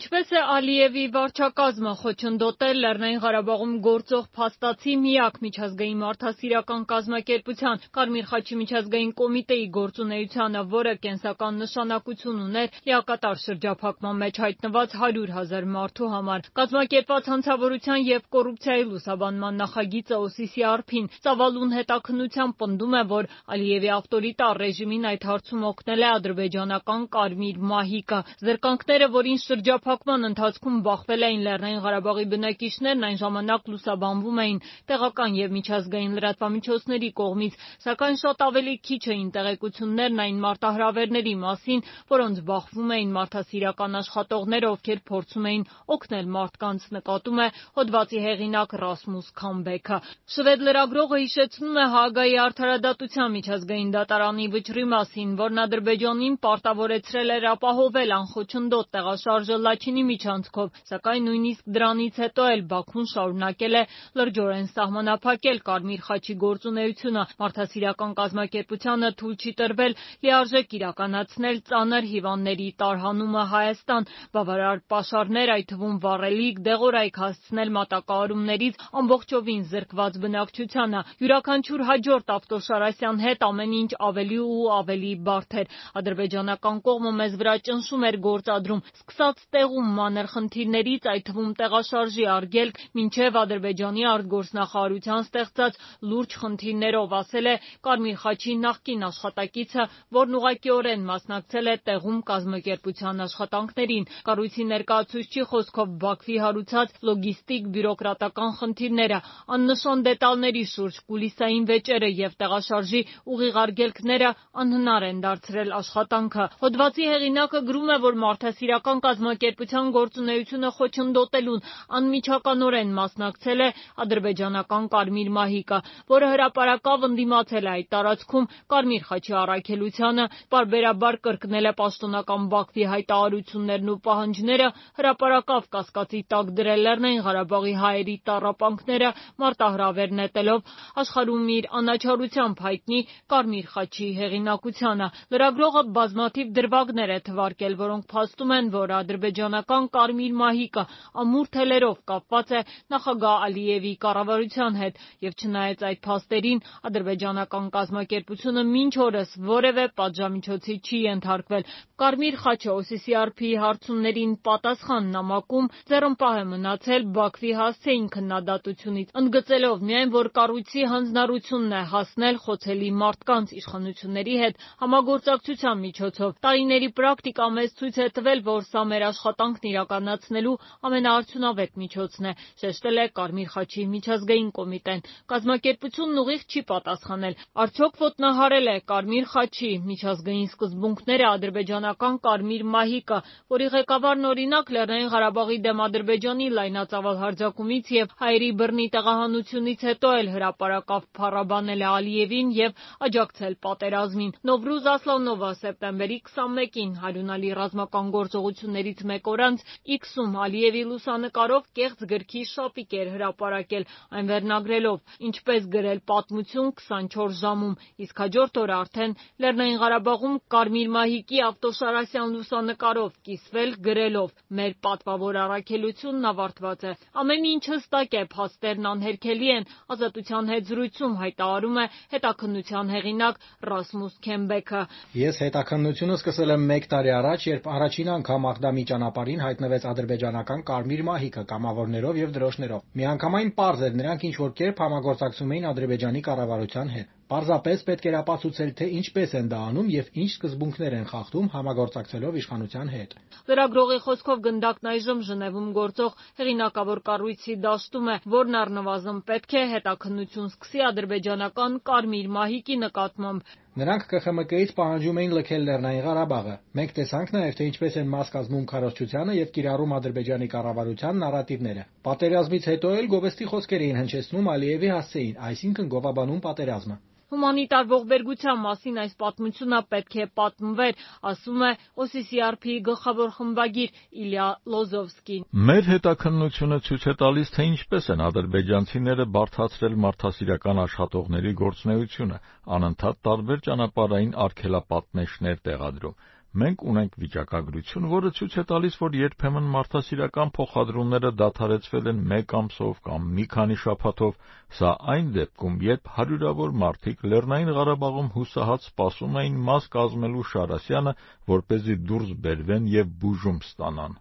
Ինչպես է Ալիևի վարչակազմը խոչընդոտել Լեռնային Ղարաբաղում գործող փաստացի միակ միջազգային մարդասիրական կազմակերպության Կարմիր խաչի միջազգային կոմիտեի գործունեությանը, որը կենսական նշանակություն ուներ լիակատար շրջափակման մեջ հայտնված 100,000 մարդու համար։ Կազմակերպված հանցավորության և կոռուպցիայի լուսաբանման նախագիծը OCCRP-ին ծավալուն հետաքննությամբ պնդում է, որ Ալիևի ավտորիտար ռեժիմին այդ հարցում օգնել է ադրբեջանական Կարմիր մահիկը։ Զրկանքները, որին շրջափակման ընթացքում բախվել էին Լեռնային Ղարաբաղի բնակիչներն, այն ժամանակ լուսաբանվում էին տեղական և միջազգային լրատվամիջոցների կողմից, սակայն շատ ավելի քիչ էին տեղեկություններն այն մարտահրավերների մասին, որոնց բախվում էին մարդասիրական աշխատողները, ովքեր փորձում էին օգնել մարդկանց, նկատում է հոդվածի հեղինակ Ռասմուս Քամբեքը։ Շվեդ լրագրողը հիշեցնում է Հաագայի արդարադատության միջազգային դատարանի վճռի մասին, որն Ադրբեջանին պարտավորեցրել էր ապահովել անխոչնդոտ տեղաշարժը Լաչինի միջանցքով, սակայն նույնիսկ դրանից հետո էլ Բաքուն շարունակել է լրջորեն սահմանափակել Կարմիր խաչի գործունեությունը։ Մարդասիրական կազմակերպությանը թույլ չի տրվել լիարժեք իրականացնել ծանր հիվանդների տարհանումը Հայաստան, բավարար պաշարներ, այդ թվում վառելիք, դեղորայք հասցնել մատակարարումներից ամբողջովին զրկված բնակչությանը։ Յուրաքանչյուր հաջորդ ավտոշարասյան հետ ամեն ինչ ավելի ու ավելի բարդ էր։ Ադրբեջանական կողմը մեզ վրա ճնշում էր գործադրում, սկսած տեղում մանր խնդիրներից, այդ թվում տեղաշարժի արգելք, մինչև Ադրբեջանի արտգործնախարարության ստեղծած լուրջ խնդիրներով, ասել է Կարմիր խաչի նախկին աշխատակիցը, որն ուղղակիորեն մասնակցել է տեղում կազմակերպության աշխատանքներին։ Կառույցի ներկայացուցչի խոսքով Բաքվի հարուցած լոգիստիկ բյուրոկրատական խնդիրները, աննշան դետալների շուրջ կուլիսային վեճերը և տեղաշարժի ուղիղ արգելքները անհնար են դարձրել աշխատանքը։ Հոդվածի հեղինակը գրում է, որ մարդասիրական կազմակերպության գործունեությունը խոչընդոտելուն անմիջականորեն մասնակցել է ադրբեջանական Կարմիր մահիկը, որը հրապարակավ ընդդիմացել է այդ տարածքում Կարմիր խաչի առաքելությանը, պարբերաբար կրկնել է պաշտոնական Բաքվի հայտարարություններն ու պահանջները, հրապարակավ կասկածի տակ դրել Լեռնային Ղարաբաղի հայերի տառապանքները, մարտահրավեր նետելով աշխարհում իր անաչառությամբ հայտնի Կարմիր խաչի հեղինակությանը։ Լրագրողը բազմաթիվ դրվագներ է թվարկել, որոնք փաստում են, որ ադրբեջանական Կարմիր մահիկը ամուր թելերով կապված է նախագահ Ալիևի կառավարության հետ, և չնայած այդ փաստերին, ադրբեջանական կազմակերպությունը մինչ օրս որևէ պատժամիջոցի չի ենթարկվել։ Կարմիր խաչը OCCRP-ի հարցումներին պատասխան նամակում ձեռնպահ է մնացել Բաքվի հասցեին քննադատությունից, ընդգծելով միայն, որ կառույցի հանձնառությունն է հասնել խոցելի մարդկանց իշխանությունների հետ համագործակցության միջոցով։ Տարիների պրակտիկա մեզ ցույց է տվել, որ սա մեր աշխատանքն իրականացնելու ամենաարդյունավետ միջոցն է, շեշտել է Կարմիր խաչի միջազգային կոմիտեն։ Կազմակերպությունն ուղիղ չի պատասխանել, արդյոք ոտնահարել է Կարմիր խաչի միջազգային սկզբունքները ադրբեջանական Կարմիր մահիկը, որի ղեկավարն օրինակ Լեռնային Ղարաբաղի դեմ Ադրբեջանի լայնածավալ հարձակումից և հայերի բռնի տեղահանությունից հետո էլ հրապարակավ փառաբանել է Ալիևին և աջակցել պատերազմին։ Նովրուզ Ասլանովը սեպտեմբերի 21-ին Հարյունալի ռազմական գործողություններից մեկ օր անց X-ում Ալիևի լուսանկարով կեղծ գրքի շապիկ էր հրապարակել, այն վերնագրելով «Ինչպես գրել պատմություն 24 ժամում», իսկ հաջորդ օրը արդեն Լեռնային Ղարաբաղում Կարմիր մահիկի ավտոշարասյան լուսանկարով կիսվել գրելով «Մեր պատվավոր առաքելությունն ավարտված է»։ Ամեն ինչ հստակ է, փաստերն անհերքելի են, Ազատության հետ զրույցում հայտարարում է հետաքննության հեղինակ Ռասմուս Քեմբեքը։ Ես հետաքննությունը սկսել եմ 1 տարի առաջ, երբ առաջին անգամ Աղդամի ճանապարհին հայտնվեց ադրբեջանական Կարմիր մահիկը կամավորներով և դրոշներով։ Միանգամայն պարզ էր, նրանք ինչ-որ կերպ համագործակցում էին Ադրբեջանի կառավարության հետ։ Պարզապես պետք էր ապացուցել, թե ինչպես են դա անում և ինչ սկզբունքներ են խախտում համագործակցելով իշխանության հետ։ Լրագրողի խոսքով գնդակն այժմ Ժնևում գործող հեղինակավոր կառույցի դաշտում է, որն առնվազն պետք է հետաքննություն սկսի ադրբեջանական Կարմիր մահիկի նկատմամբ։ Նրանք ԿԽՄԿ-ից պահանջում էին լքել Լեռնային Ղարաբաղը։ Մենք տեսանք նաև, թե ինչպես են մաս կազմում քարոզչությանը և կիրառում Ադրբեջանի կառավարության նարատիվները։ Պատերազմից հետո էլ գովեստի խոսքեր էին հնչեցնում Ալիևի հասցեին, այսինքն գովաբանում պատերազմը։ Հումանիտար ողբերգության մասին այս պատմությունը պետք է պատմվեր, ասում է OCCRP-ի գլխավոր խմբագիր Իլյա Լոզովսկին։ Մեր հետաքննությունը ցույց է տալիս, թե ինչպես են ադրբեջանցիները բարդացրել մարդասիրական աշխատողների գործունեությունը, անընդհատ տարբեր ճանապարհային արգելապատնեշներ տեղադրում։ Մենք ունենք վիճակագրություն, որը ցույց է տալիս, որ երբեմն մարդասիրական փոխադրումները դադարեցվել են մեկ ամսով կամ մի քանի շաբաթով, սա այն դեպքում, երբ հարյուրավոր մարդիկ Լեռնային Ղարաբաղում հուսահատ սպասում էին մաս կազմելու Շարասյանը, որպեսզի դուրս բերվեն և բուժում ստանան։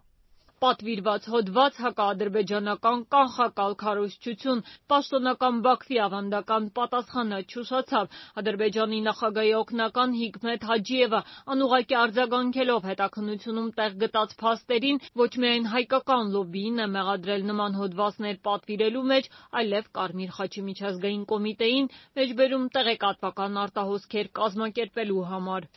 Պատվիրված հոդված, հակաադրբեջանական կանխակալ քարոզչություն, պաշտոնական Բաքվի ավանդական պատասխանը չուշացավ։ Ադրբեջանի նախագահի օգնական Հիկմետ Հաջիևը անուղղակի արձագանքելով հետաքննությունում տեղ գտած փաստերին, ոչ միայն հայկական լոբբիին է մեղադրել նման հոդվածներ պատվիրելու մեջ, այլև Կարմիր խաչի միջազգային կոմիտեին մեջբերում տեղեկատվական արտահոսքեր կազմակերպելու համար։